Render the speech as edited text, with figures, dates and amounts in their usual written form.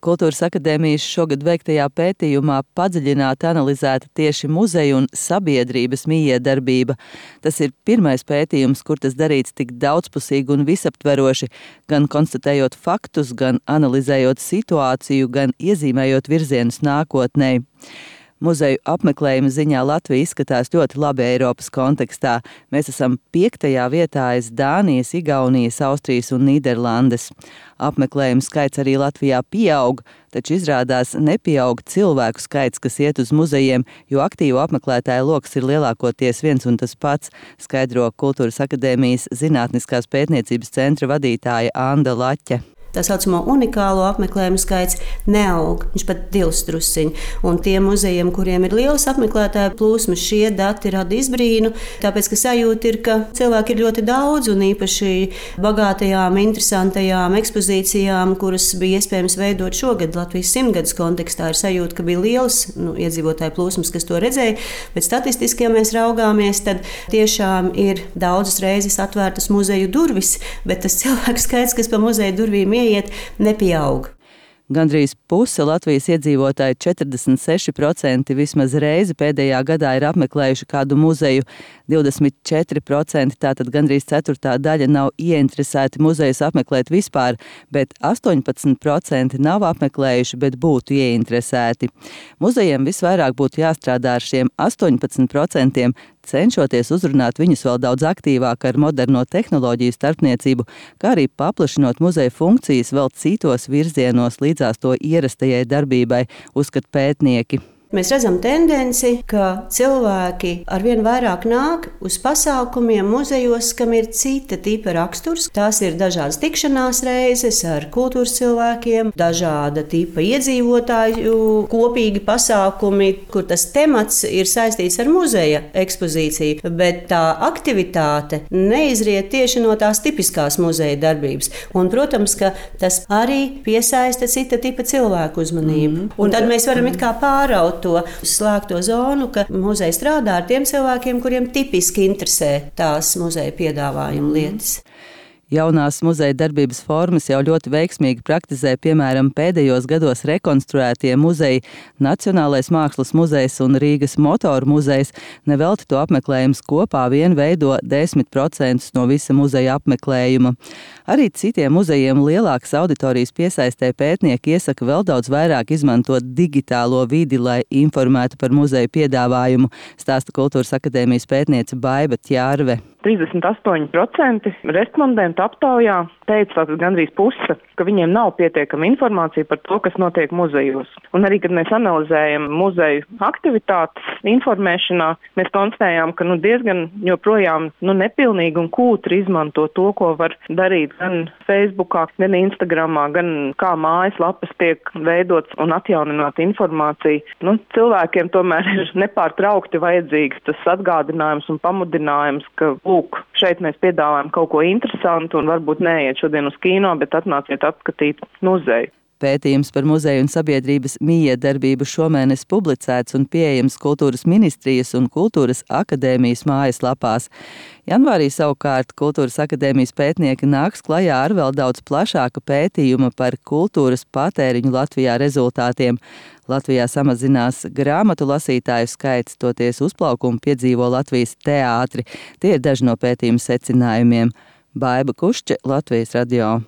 Kultūras akadēmijas šogad veiktajā pētījumā padziļināti analizēta tieši muzeju un sabiedrības mijiedarbība. Tas ir pirmais pētījums, kur tas darīts tik daudzpusīgi un visaptveroši, gan konstatējot faktus, gan analizējot situāciju, gan iezīmējot virzienus nākotnē. Muzeju apmeklējuma ziņā Latvija izskatās ļoti labi Eiropas kontekstā. Mēs esam 5. vietā aiz Dānijas, Igaunijas, Austrijas un Nīderlandes. Apmeklējuma skaits arī Latvijā pieaug, taču izrādās nepieaug cilvēku skaits, kas iet uz muzejiem, jo aktīvu apmeklētāju loks ir lielākoties viens un tas pats, skaidro Kultūras akadēmijas Zinātniskās pētniecības centra vadītāja Anda Laķe. Tā saucamo unikālo apmeklējumu skaits neaug, viņš pat dilst drusciņi. Un tiem muzejiem, kuriem ir lielas apmeklētāju plūsmas, šie dati rada izbrīnu, tāpēc, ka sajūta ir, ka cilvēki ir ļoti daudz, un īpaši bagātajām, interesantajām ekspozīcijām, kuras bija iespējams veidot šogad Latvijas 100-gadus kontekstā, ir sajūta, ka bija lielas iedzīvotāju plūsmas, kas to redzēja, bet statistiski, ja mēs raugāmies, tad tiešām ir daudzas reizes atvērtas muzeju durvis, bet tas cilvēku skaits, kas pa muzeju durvīm nepieaug. Gandrīz puse Latvijas iedzīvotāji, 46% vismaz reizi pēdējā gadā ir apmeklējuši kādu muzeju, 24%, tātad gandrīz ceturtā daļa nav ieinteresēti muzejus apmeklēt vispār, bet 18% nav apmeklējuši, bet būtu ieinteresēti. Muzejiem visvairāk būtu jāstrādā ar šiem 18%, cenšoties uzrunāt viņus vēl daudz aktīvāk ar moderno tehnoloģiju starpniecību, kā arī paplašinot muzeja funkcijas vēl citos virzienos līdzās to ierastajai darbībai, uzskata pētnieki. Mēs redzam tendenci, ka cilvēki arvien vairāk nāk uz pasākumiem muzejos, kam ir cita tipa raksturs. Tās ir dažādas tikšanās reizes ar kultūras cilvēkiem, dažāda tipa iedzīvotāju kopīgi pasākumi, kur tas temats ir saistīts ar muzeja ekspozīciju, bet tā aktivitāte neizriet tieši no tās tipiskās muzeja darbības. Un, protams, ka tas arī piesaista cita tipa cilvēku uzmanību. Un tad mēs varam it kā pāraut to slēgto zonu, ka muzeja strādā ar tiem cilvēkiem, kuriem tipiski interesē tās muzeja piedāvājuma lietas. Jaunās muzeja darbības formas jau ļoti veiksmīgi praktizē, piemēram, pēdējos gados rekonstruētie muzeji Nacionālais mākslas muzejs un Rīgas motoru muzejs. Nevelti to apmeklējums kopā vien veido 10% no visa muzeja apmeklējuma. Arī citiem muzejiem lielākas auditorijas piesaistē pētnieki iesaka vēl daudz vairāk izmantot digitālo vidi, lai informētu par muzeju piedāvājumu, stāsta Kultūras akadēmijas pētniece Baiba Ķārve. 38% respondentu aptaujā teica, tātad gandrīz puse, ka viņiem nav pietiekama informācija par to, kas notiek muzejos. Un arī, kad mēs analizējam muzeju aktivitātes informēšanā, mēs konstatējām, ka diezgan joprojām nepilnīgi un kūtri izmanto to, ko var darīt gan Facebookā, gan Instagramā, gan kā mājaslapas tiek veidots un atjaunināt informāciju. Cilvēkiem tomēr ir nepārtraukti vajadzīgs tas atgādinājums un pamudinājums, ka lūk, šeit mēs piedāvājam kaut ko interesantu un varbūt neiet šodien uz kino, bet atnāciet apskatīt muzeju. Pētījums par muzeju un sabiedrības mijiedarbību šomēnes publicēts un pieejams Kultūras ministrijas un Kultūras akadēmijas mājaslapās. Janvārī savukārt Kultūras akadēmijas pētnieki nāks klajā ar vēl daudz plašāku pētījumu par kultūras patēriņu Latvijā rezultātiem. Latvijā samazinās grāmatu lasītāju skaits, toties uzplaukumu piedzīvo Latvijas teātri. Tie ir daži no pētījuma secinājumiem. Baiba Kušče, Latvijas radio.